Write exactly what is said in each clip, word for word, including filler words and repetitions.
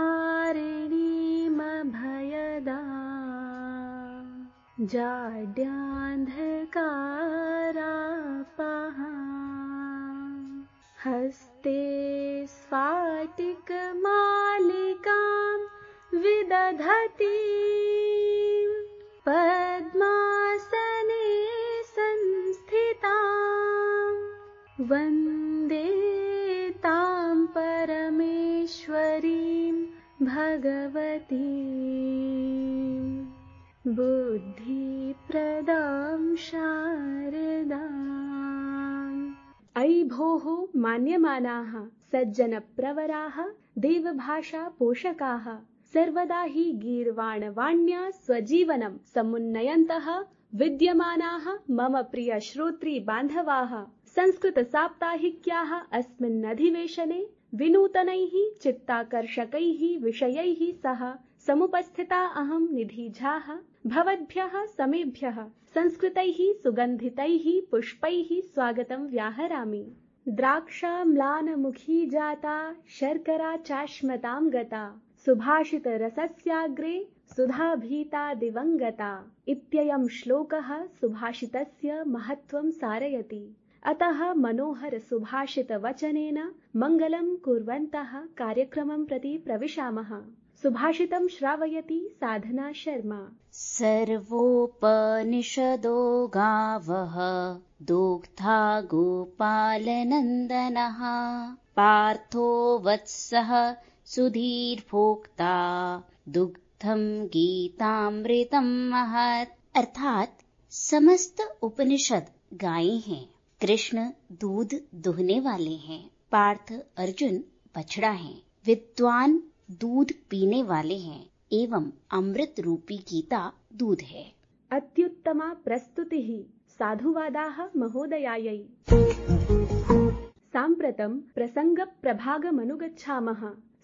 तारिणीमभयदा जाड्यान्धकारापहा हस्ते स्फाटिकमालिकां विदधती पद्मासने संस्थितां वन्दे तां परमेश्वरीं भगवतीं बुद्धिप्रदां शारदाम्। अयि भोः मान्यमानाः सज्जनप्रवराः देवभाषा पोषकाः सर्वदा हि गीर्वाणवाण्या स्वजीवनं समुन्नयन्तः विद्यमानाः मम प्रिय श्रोत्री बान्धवाः संस्कृतसाप्ताहिक्याः अस्मिन् अधिवेशने विनूतनैः चित्ताकर्षकैः विषयैः सह समुपस्थिता अहं निधि झाः भवद्भ्यः समेभ्यः संस्कृतैः सुगन्धितैः पुष्पैः स्वागतं व्याहरामि। द्राक्षाम्लानमुखी जाता शर्करा चाश्मतां गता सुभाषितरसस्याग्रे सुधाभीता दिवङ्गता इत्ययं श्लोकः सुभाषितस्य महत्त्वं सारयति। अतः मनोहर सुभाषित वचनेन मङ्गलं कुर्वन्तः कार्यक्रमं प्रति प्रविशामः। सुभाषितं श्रावयति साधना शर्मा। सर्वोपनिषदो गावः दुग्धा गोपालनन्दनः पार्थो वत्सः सुधीर्भोक्ता दुग्धं गीतामृतं महत्। अर्थात समस्त उपनिषद गाय हैं, कृष्ण दूध दुहने वाले हैं, पार्थ अर्जुन बछड़ा है, विद्वान दूध पीने वाले हैं एवं अमृत रूपी गीता दूध है। अत्युत्तमा प्रस्तुतिः साधुवादाः महोदयायै। साम्प्रतं प्रसङ्गप्रभागमनुगच्छामः।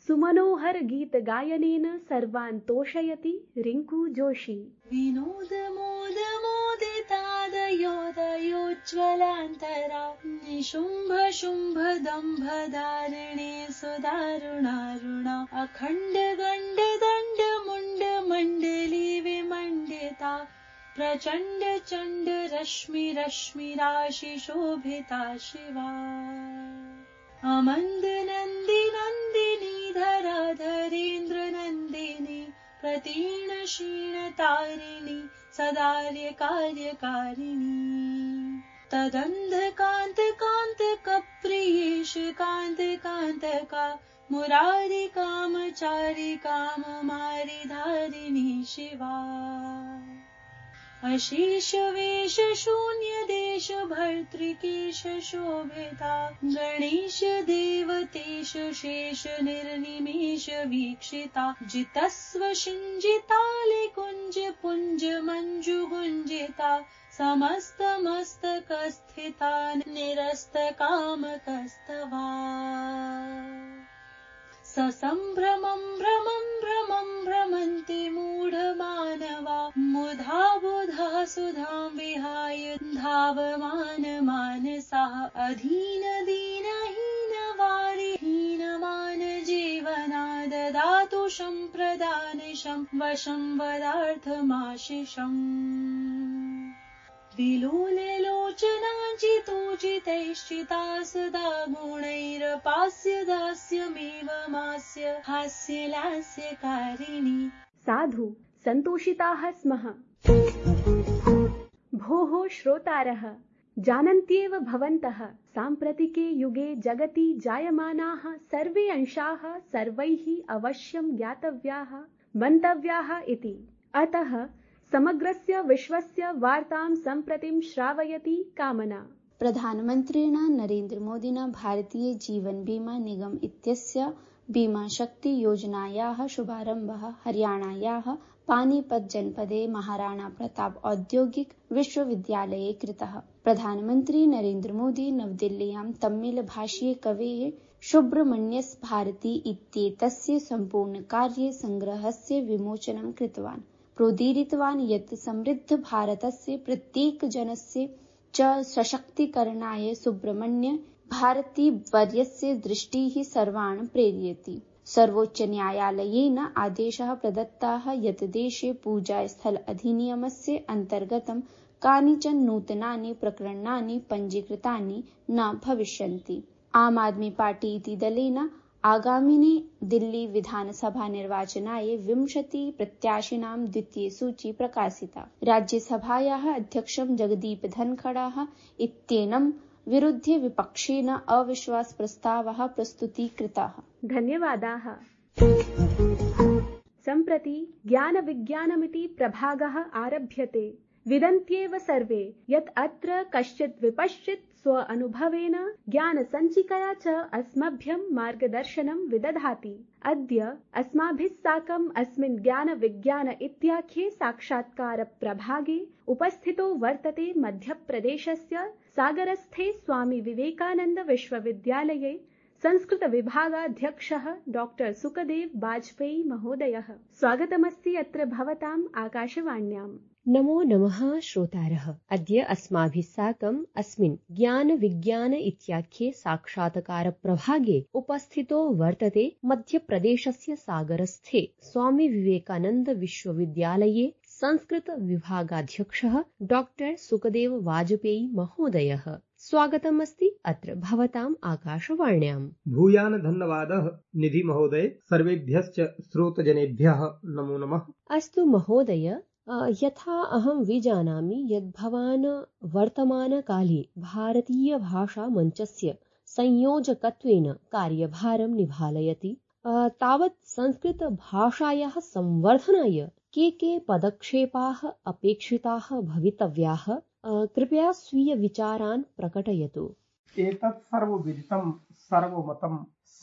सुमनोहर गीत गायनेन सर्वान् तोषयति रिङ्कू जोशी। विनोद मोद मोदितादयोदयोज्ज्वलान्तरा निशुम्भ शुम्भ दम्भ धारिणे सुदारुणारुणा अखण्ड गण्ड दण्ड मुण्ड मण्डली विमण्डिता प्रचण्ड चण्ड रश्मि रश्मि राशि शोभिता शिवा अमन्द नन्दी नन्दिनी धरा धरेन्द्र नन्दिनी प्रतीर्ण क्षीण तारिणी सदार्य कार्यकारिणी तदन्धकान्त कान्त कप्रियेश कान्त कान्तका मुरारी कामचारी काममारी धारिणी शिवा अशेष वेश शून्य देश भर्तृकेश शोभिता गणेश देवतेश शेष निर्निमेष वीक्षिता जितस्व शिञ्जिताले कुञ्ज पुञ्ज मञ्जु गुञ्जिता समस्त मस्तकस्थिता निरस्त कामकस्तवा ससम्भ्रमं भ्रमं भ्रमं भ्रमन्ति मूढमानवा मुधा बुधा सुधां विहाय धावमान मानसाः अधीन दीन हीन वारि हीनमान जीवना ददातु सम्प्रदानशं वशं वदार्थमाशिषम् विलोललोचनाचितोचितैश्चिता सदा गुणैरपास्य दास्यमेव मास्य हास्यलास्यकारिणी। साधु सन्तोषिताः स्मः। भोः श्रोतारः, जानन्त्येव भवन्तः साम्प्रतिके युगे जगति जायमानाः सर्वे अंशाः सर्वैः अवश्यं ज्ञातव्याः मन्तव्याः इति। अतः समग्रस्य विश्वस्य वार्तां सम्प्रतिं श्रावयति कामना। प्रधानमन्त्रिणा नरेन्द्र मोदिना भारतीय जीवन बीमा निगम इत्यस्य बीमा शक्ति योजनायाः शुभारम्भः हरियाणायाः पानीपत जनपदे महाराणा प्रताप औद्योगिक विश्वविद्यालये कृतः। प्रधानमन्त्री नरेन्द्र मोदी नवदिल्ल्यां तमिल भाषीय कवेः सुब्रह्मण्यस् भारती इत्येतस्य सम्पूर्णकार्य संग्रहस्य विमोचनं कृतवान्। प्रोदीरितवान् यत् समृद्ध भारतस्य प्रत्येकजनस्य च सशक्तीकरणाय सुब्रह्मण्य भारती वर्यस्य दृष्टिः सर्वान् प्रेरयति। सर्वोच्चन्यायालयेन आदेशः प्रदत्ताः यत् देशे पूजास्थल अधिनियमस्य अन्तर्गतं कानिचन नूतनानि प्रकरणानि पञ्जीकृतानि न भविष्यन्ति। आम आदमी पार्टी इति दलेन आगामिनि दिल्ली विधानसभा निर्वाचनाय विंशति प्रत्याशिनां द्वितीयसूची प्रकाशिता। राज्यसभायाः अध्यक्षं जगदीप धनखडः इत्येनं विरुध्य विपक्षेन अविश्वासप्रस्तावः प्रस्तुतीकृतः। धन्यवादाः। सम्प्रति ज्ञानविज्ञानमिति प्रभागः आरभ्यते। विदन्त्येव सर्वे यत् अत्र कश्चित् विपश्चित् स्व अनुभवेन ज्ञानसञ्चिकया च अस्मभ्यं मार्गदर्शनं विदधाति। अद्य अस्माभिः साकम् अस्मिन् ज्ञानविज्ञान इत्याख्ये साक्षात्कार प्रभागे उपस्थितो वर्तते मध्यप्रदेशस्य सागरस्थे स्वामी विवेकानन्द विश्वविद्यालये संस्कृत विभागाध्यक्षः डॉक्टर सुखदेव वाजपेयी महोदयः। स्वागतमस्ति अत्र भवताम् आकाशवाण्याम्। नमो नमः श्रोतारः। अद्य अस्माभिः साकम् अस्मिन् ज्ञान विज्ञान इत्याख्ये साक्षात्कार प्रभागे उपस्थितो वर्तते मध्यप्रदेशस्य सागरस्थे स्वामी विवेकानन्द विश्वविद्यालये संस्कृत विभागाध्यक्षः डॉक्टर सुखदेव वाजपेयी महोदयः। स्वागतम् अस्ति अत्र भवताम् आकाशवाण्याम्। भूयान् धन्यवादः निधि महोदय। सर्वेभ्यश्च श्रोतजनेभ्यः नमो नमः। अस्तु महोदय, यथा अहं विजानामि यत् भवान् वर्तमानकाले भारतीय भाषा मञ्चस्य संयोजकत्वेन कार्यभारं निभालयति, तावत् संस्कृत भाषायाः संवर्धनाय के के पदक्षेपाः अपेक्षिताः भवितव्याः? कृपया स्वीय विचारान् प्रकटयतु। एतत् सर्वविदितं सर्वमतं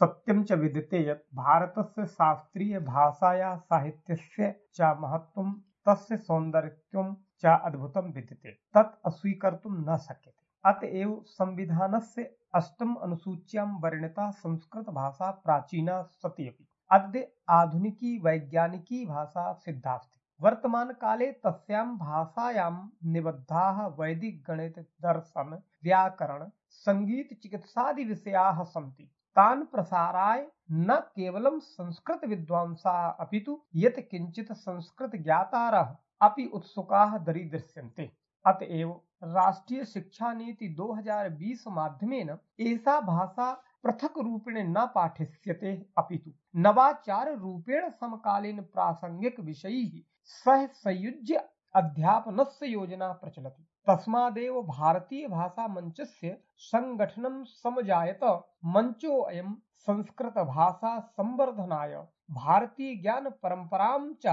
सत्यं च विदिते यत् भारतस्य शास्त्रीय भाषायाः साहित्यस्य च महत्त्वं तस्य सौन्दर्यत्वं च अद्भुतं विद्यते, तत् अस्वीकर्तुं न शक्यते। अतएव संविधानस्य अष्टम अनुसूच्यां वर्णिता संस्कृत भाषा प्राचीना सती अपि अद्य आधुनिकी वैज्ञानिकी भाषा सिद्धा अस्ति। वर्तमानकाले तस्यां भाषायां निबद्धाः वैदिक गणित दर्शन व्याकरण संगीत चिकित्सादि विषयाः सन्ति। तान् प्रसाराय न केवलं संस्कृत विद्वांसाः अपितु यत् किञ्चित् संस्कृत ज्ञातारः अपि उत्सुकाः दरीदृश्यन्ते। अतएव राष्ट्रीय शिक्षा नीति दो हज़ार बीस माध्यमेन एषा भाषा पृथक रूपेण न पाठिष्यते अपितु नवाचार रूपेण समकालीन प्रासंगिक विषयैः सह संयुज्य अध्यापनस्य योजना प्रचलति। तस्मादेव भारतीय भाषा मञ्चस्य संगठनं समजायत। मञ्चोऽयं संस्कृत भाषा संवर्धनाय भारतीय ज्ञान परम्परां च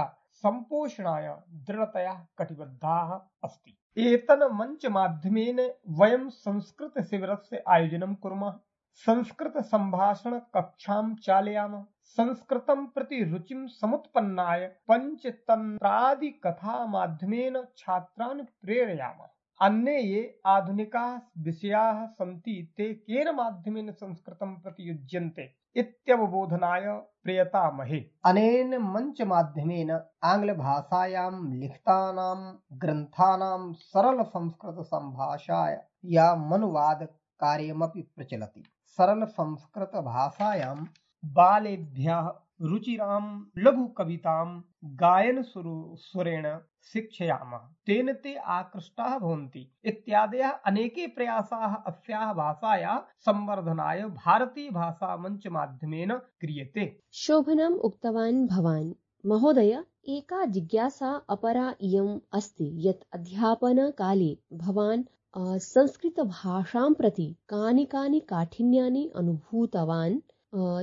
सम्पोषणाय दृढतया कटिबद्धाः अस्ति। एतन मंच माध्यमेन वयं संस्कृत शिबिरस्य आयोजनं कुर्मः। संस्कृत संभाषण कक्षां चालयामः। संस्कृतं प्रति रुचिं समुत्पन्नाय पंचतन्त्रादि कथा माध्यमेन छात्रान् प्रेरयामः। अन्ये ये आधुनिकाः विषयाः सन्ति ते केन माध्यमेन संस्कृतं प्रति युज्यन्ते इत्यवबोधनाय प्रयतामहे। अनेन मंच माध्यमेन आंग्ल भाषायां लिखितानां ग्रन्थानां सरल संस्कृत संभाषायामनुवाद कार्यमपि प्रचलति। सरल संस्कृत भाषायां बालेभ्यः रुचिरां लघु कवितां गायन स्वरेण शिक्षयामः। तेन ते आकृष्टाः भवन्ति इत्यादयः अनेके प्रयासाः अस्याः भाषायाः संवर्धनाय भारतीय भाषा मंच माध्यमेन क्रियते। शोभनम् उक्तवान् भवान्। महोदय, एका जिज्ञासा अपरा इयम् अस्ति यत् अध्यापनकाले भवान् संस्कृत भाषां प्रति कानि कानि काठिन्यानि अनुभूतवान्?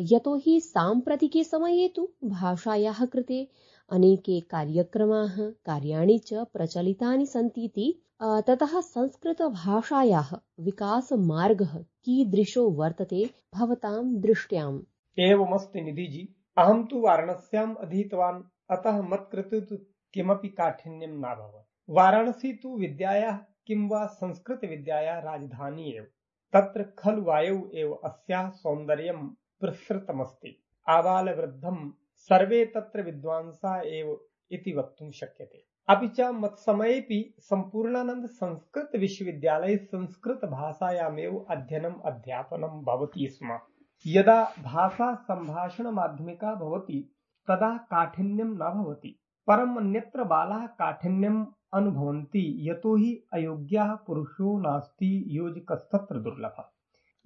यतोहि साम्प्रतिके समये तु भाषायाः कृते अनेके कार्यक्रमाः कार्याणि च प्रचलितानि सन्तीति, ततः संस्कृत भाषायाः विकासमार्गः कीदृशो वर्तते भवतां दृष्ट्याम्? एवमस्ति निधिजी। अहं तु वाराणस्याम् अधीतवान्, अतः मत्कृते तु किमपि काठिन्यं नाभवत्। वाराणसी तु विद्यायाः किं वा संस्कृत विद्यायाः राजधानी एव। तत्र खलु वायौ एव अस्याः सौन्दर्यं प्रसृतमस्ति। आबालवृद्धं सर्वे तत्र विद्वांसाः एव इति वक्तुं शक्यते। अपि च मत्समयेपि सम्पूर्णानन्द संस्कृत विश्वविद्यालये संस्कृत भाषायामेव अध्ययनम् अध्यापनं भवति स्म। यदा भाषा सम्भाषण माध्यमिका भवति तदा काठिन्यं न भवति, परम् अन्यत्र बालाः काठिन्यम् अनुभवन्ति, यतो हि अयोग्यः पुरुषो नास्ति योजकस्तत्र दुर्लभः।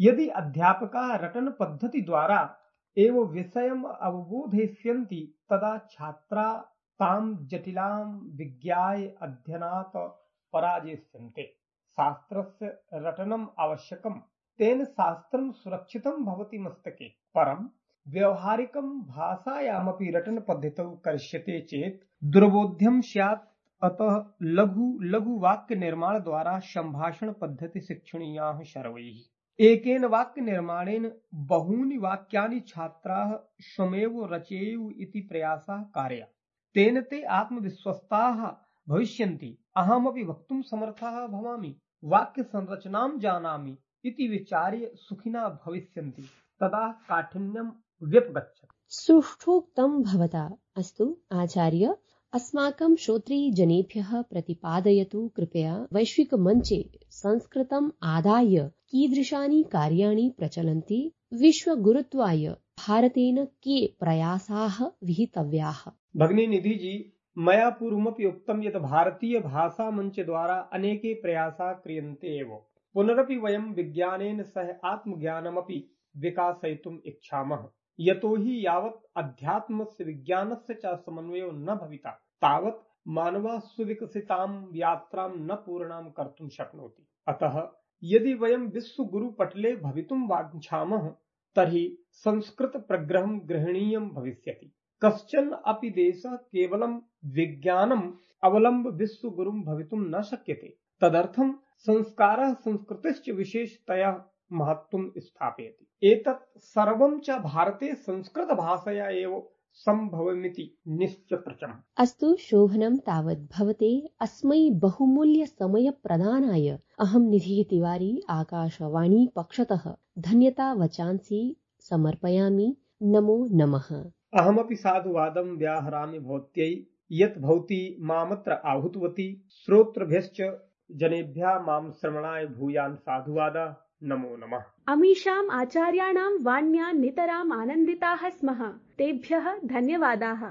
यदि अध्यापकाः रटन पद्धति द्वारा एव विषयम् अवबोधयिष्यन्ति तदा छात्राः तां जटिलां विज्ञाय अध्ययनात् पराजयिष्यन्ते। शास्त्रस्य रटनम् आवश्यकम्, तेन शास्त्रं सुरक्षितं भवति मस्तके, परं व्यवहारिकं भाषायामपि रटन पद्धतौ करिष्यते चेत् दुर्बोध्यं स्यात्। अतः लघु लघु वाक्य निर्माण द्वारा सम्भाषण पद्धति शिक्षणीयाः सर्वैः। एकेन वाक्य निर्माणेन बहूनि वाक्यानि छात्राः स्वयमेव रचयेयुः इति प्रयासः कार्यः। तेन ते आत्मविश्वस्ताः भविष्यन्ति। अहमपि वक्तुं समर्थः भवामि, वाक्य संरचनां जानामि इति विचार्य सुखिनः भविष्यन्ति, तदा काठिन्यं व्यपगच्छति। सुष्ठुक्तं भवता। अस्तु आचार्य, अस्माकं श्रोतृजनेभ्यः प्रतिपादयतु कृपया वैश्विकमञ्चे संस्कृतम् आदाय कीदृशानि कार्याणि प्रचलन्ति, विश्वगुरुत्वाय भारतेन के प्रयासाः विहितव्याः। भगिनी निधि जी, मया पूर्वमपि उक्तं यत् भारतीय भाषा मञ्च द्वारा अनेके प्रयासाः क्रियन्ते एव। पुनरपि वयं विज्ञानेन सह आत्मज्ञानमपि विकासयितुम् इच्छामः, यतो हि यावत् अध्यात्मस्य विज्ञानस्य च समन्वयो न भविता तावत् मानवः सुविकसितां यात्रां न पूर्णां कर्तुं शक्नोति। अतः यदि वयं विश्वगुरुपटले भवितुं वाञ्छामः तर्हि संस्कृत प्रग्रहं ग्रहणीयं भविष्यति। कश्चन अपि देशः केवलं विज्ञानम् अवलम्ब्य विश्वगुरुं भवितुं न शक्यते। तदर्थं संस्कारः संस्कृतिश्च विशेषतया महत्त्वं स्थापयति। एतत् सर्वं च भारते संस्कृतभाषया एव सम्भवमिति निश्चितम्। अस्तु शोभनं। तावत् भवते अस्मै बहुमूल्यसमयप्रदानाय अहं निधिः तिवारी आकाशवाणी पक्षतः धन्यतावचांसि समर्पयामि। नमो नमः। अहमपि साधुवादं व्याहरामि भवत्यै यत् भवती मामत्र आहूतवती। श्रोतृभ्यश्च जनेभ्यः मां श्रवणाय भूयान् साधुवादः। नमो नमः। अमीषाम् आचार्याणां वाण्या नितराम् आनन्दिताः स्मः। तेभ्यः धन्यवादाः।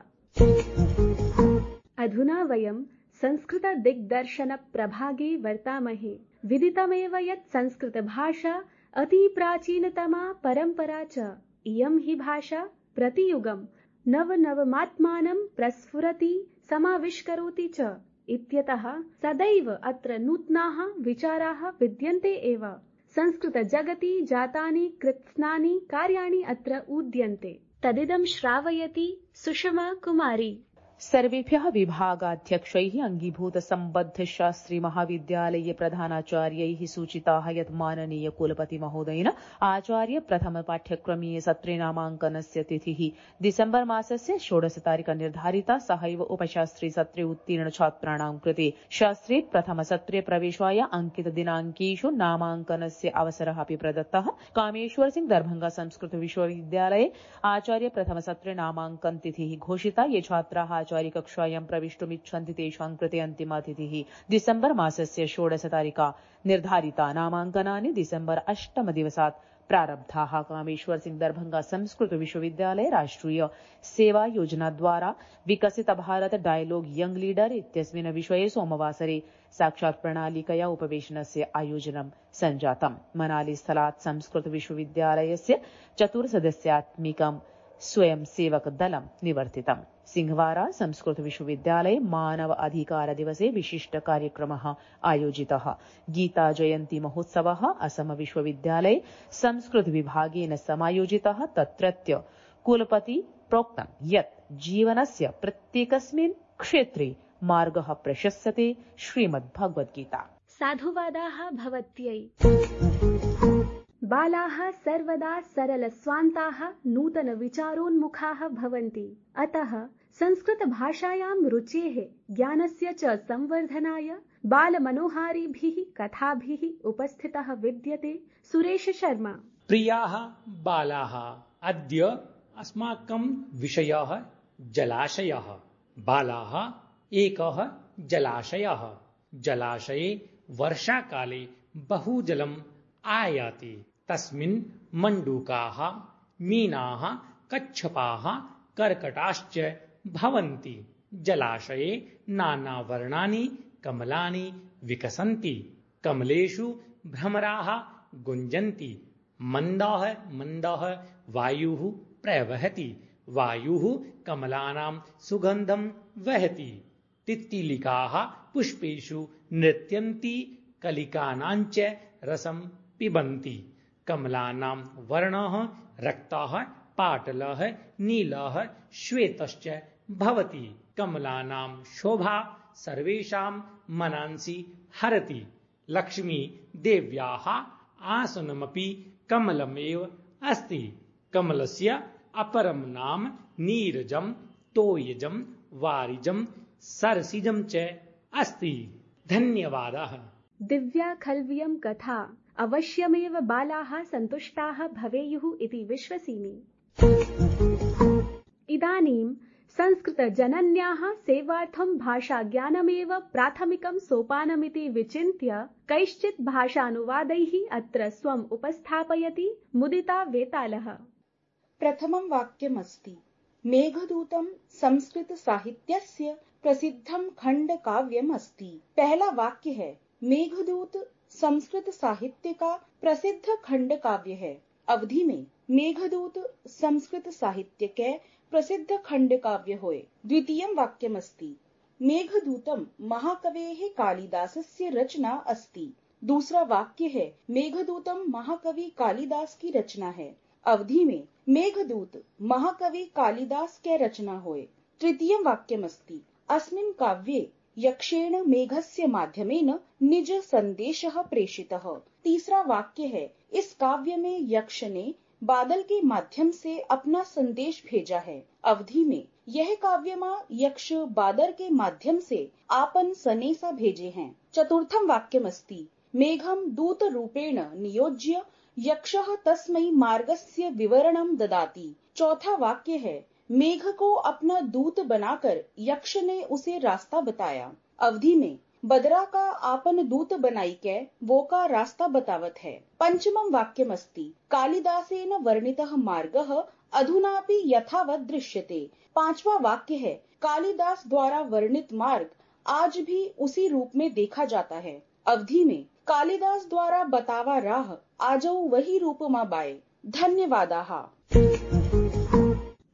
अधुना वयं संस्कृतदिग्दर्शनप्रभागे वर्तामहे। विदितमेव यत् संस्कृतभाषा अतिप्राचीनतमा परम्परा च। इयं हि भाषा प्रतियुगं नवनवमात्मानं प्रस्फुरति समाविष्करोति च इत्यतः सदैव अत्र नूतनाः विचाराः विद्यन्ते एव। संस्कृत जगति जातानि कृत्स्नानि कार्याणि अत्र उद्यन्ते। तदिदं श्रावयति सुषमा कुमारी। सर्वेभ्यः विभागाध्यक्षैः अंगीभूत सम्बद्ध शास्त्री महाविद्यालये प्रधानाचार्यैः सूचिताः यत् माननीय कुलपति महोदयेन आचार्य प्रथम पाठ्यक्रमीय सत्रे नामाङ्कनस्य तिथिः डिसेम्बर् मासस्य षोडशतारिका निर्धारिता। सहैव उपशास्त्री सत्रे उत्तीर्ण छात्राणां कृते शास्त्रे प्रथम सत्रे प्रवेशाय अंकित दिनाङ्केषु नामाङ्कनस्य अवसरः अपि प्रदत्तः। कामेश्वर सिंह दरभंगा संस्कृत विश्वविद्यालये आचार्य प्रथम सत्रे नामाङ्कन तिथिः घोषिता। ये छात्राः आचार्य कक्षायां प्रविष्टुमिच्छन्ति तेषां कृते अन्तिमा तिथिः डिसेम्बर् मासस्य षोडशतारिका निर्धारिता। नामाङ्कनानि डिसेम्बर् अष्टम दिवसात् प्रारब्धाः। कामेश्वर सिंह दरभंगा संस्कृत विश्वविद्यालये राष्ट्रिय सेवा योजना द्वारा विकसित भारत डायलॉग यंग लीडर इत्यस्मिन् विषये सोमवासरे साक्षात् प्रणालिकया उपवेशनस्य आयोजनं सञ्जातम्। मनाली स्थलात् संस्कृत विश्वविद्यालयस्य चतुर्सदस्यात्मिकं स्वयंसेवक दलं निवर्तितम्। सिंहवारा संस्कृत विश्वविद्यालये मानव अधिकार दिवसे विशिष्ट कार्यक्रमः आयोजितः। गीता जयन्ती महोत्सवः असम विश्वविद्यालये संस्कृत विभागेन समायोजितः। तत्रत्य कुलपति प्रोक्तं यत् जीवनस्य प्रत्येकस्मिन् क्षेत्रे मार्गः प्रशस्यते। श्रीमद्भगवद्गीता। साधुवादाः भवत्यै। बालाः सर्वदा सरलस्वान्ताः नूतनविचारोन्मुखाः भवन्ति। अतः संस्कृतभाषायां रुचेः ज्ञानस्य च संवर्धनाय बालमनोहारिभिः कथाभिः उपस्थितः विद्यते सुरेश शर्मा। प्रियाः बालाः, अद्य अस्माकं विषयः जलाशयः। बालाः, एकः जलाशयः। जलाशये वर्षाकाले बहु जलम् आयाति। तस्मिन् मण्डूकाः मीनाः कच्छपाः कर्कटाश्च भवन्ति। जलाशये नानावर्णानि कमलानि विकसन्ति। कमलेषु भ्रमराः गुञ्जन्ति। मन्दः मन्दः वायुः प्रवहति। वायुः कमलानां सुगन्धं वहति। तित्तिलिकाः पुष्पेषु नृत्यन्ति। कलिकानाञ्च रसं पिबन्ति। कमलानां वर्णः रक्तः पाटलः नीलः श्वेतश्च भवति। कमलानां शोभा सर्वेषां मनांसि हरति। लक्ष्मी देव्याः आसनमपि कमलमेव अस्ति। कमलस्य अपरं नाम नीरजं, तोयजं, वारिजं, सरसिजं च अस्ति। धन्यवादः। दिव्या खल्वियं कथा अवश्यमेव बालाः सन्तुष्टाः भवेयुः इति विश्वसिमि। इदानीं संस्कृतजनन्याः सेवार्थं भाषाज्ञानमेव प्राथमिकं सोपानमिति विचिन्त्य कैश्चित् भाषानुवादैः अत्र स्वम् उपस्थापयति मुदिता वेतालः। प्रथमं वाक्यमस्ति मेघदूतं संस्कृत साहित्यस्य प्रसिद्धं खंडकाव्यम् अस्ति। पहला वाक्य है मेघदूत संस्कृत साहित्य का प्रसिद्ध खंडकाव्य है। अवधि में मेघदूत संस्कृत साहित्य के प्रसिद्ध खंडकाव्य होय। द्वितीयं वाक्यमस्ति मेघदूतं महाकवेः कालिदासस्य रचना अस्ति। दूसरा वाक्य है मेघदूतं महाकवि कालिदास की रचना है। अवधि में मेघदूत महाकवि कालिदास के रचना होय। तृतीयं वाक्यमस्ति अस्मिन् काव्ये यक्षेण मेघस्य माध्यमेन निज संदेशः प्रेषितः। तीसरा वाक्य है इस काव्य में यक्ष ने बादल के माध्यम से अपना संदेश भेजा है। अवधि में यह काव्यमा यक्ष बादल के माध्यम से आपन सनेसा भेजे हैं। चतुर्थम वाक्यमस्ति मेघम दूत रूपेण नियोज्य यक्षः तस्मै मार्गस्य विवरणं ददाति। चौथा वाक्य है मेघ को अपना दूत बनाकर यक्ष ने उसे रास्ता बताया। अवधि में बदरा का आपन दूत बनाई के वो का रास्ता बतावत है। पंचमं वाक्यमस्ति कालिदासेन वर्णितः मार्गः अधुनापि यथावत् दृश्यते। पांचवा वाक्य है कालिदास द्वारा वर्णित मार्ग आज भी उसी रूप में देखा जाता है। अवधि में कालिदास द्वारा बतावा राह आजौ वही रूप मा बाय। धन्यवादाः।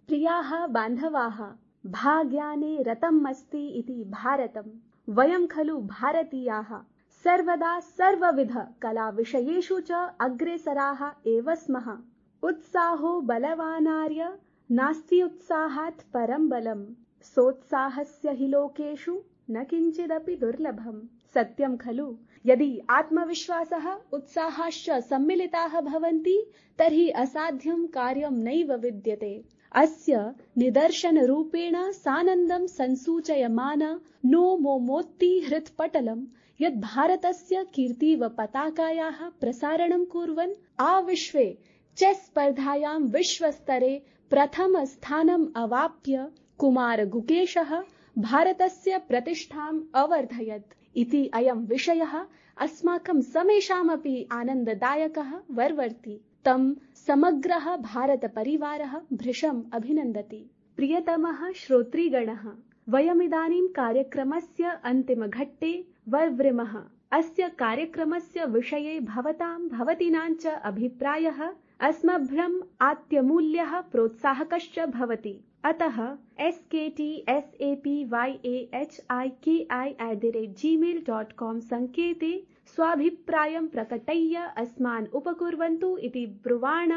प्रियाः बान्धवाः, भाग्याने रतम् अस्ति इति भारतम्। वयं खलु भारतीयाः सर्वदा सर्वविध कलाविषयेषु च अग्रेसराः एव स्मः। उत्साहो बलवानार्य नास्ति उत्साहात् परं बलम्। सोत्साहस्य हि लोकेषु न किञ्चिदपि दुर्लभम्। सत्यं खलु यदि आत्मविश्वासः उत्साहाश्च सम्मिलिताः भवन्ति तर्हि असाध्यं कार्यं नैव विद्यते। अस्य निदर्शनरूपेण सानन्दं संसूचयमान नो मोमोत्ति हृत्पटलं यत् भारतस्य कीर्तिव पताकायाः प्रसारणं कुर्वन् आविश्वे चेस् स्पर्धायां विश्वस्तरे प्रथम स्थानम् अवाप्य कुमार गुकेशः भारतस्य प्रतिष्ठाम् अवर्धयत् इति अयं विषयः अस्माकं समेषामपि आनन्ददायकः वर्वर्ति। तं समग्रः भारतपरिवारः भृशम् अभिनन्दति। प्रियतमः श्रोतृगणः, वयमिदानीं कार्यक्रमस्य अन्तिमघट्टे वर्वृमः। अस्य कार्यक्रमस्य विषये भवतां भवतीनां च अभिप्रायः अस्मभ्यम् आत्यमूल्यः प्रोत्साहकश्च भवति। अतः S K T S A P Y A H I K I at the rate Gmail dot com सङ्केते स्वाभिप्रायं प्रकटय्य अस्मान् उपकुर्वन्तु इति ब्रुवाण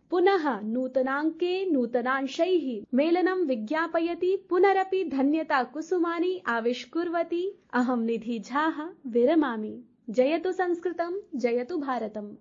पुनः नूतनाङ्के नूतनांशैः मेलनं विज्ञापयति पुनरपि धन्यता कुसुमानि आविष्कुर्वती अहं निधि झाः विरमामि। जयतु संस्कृतं, जयतु भारतम्।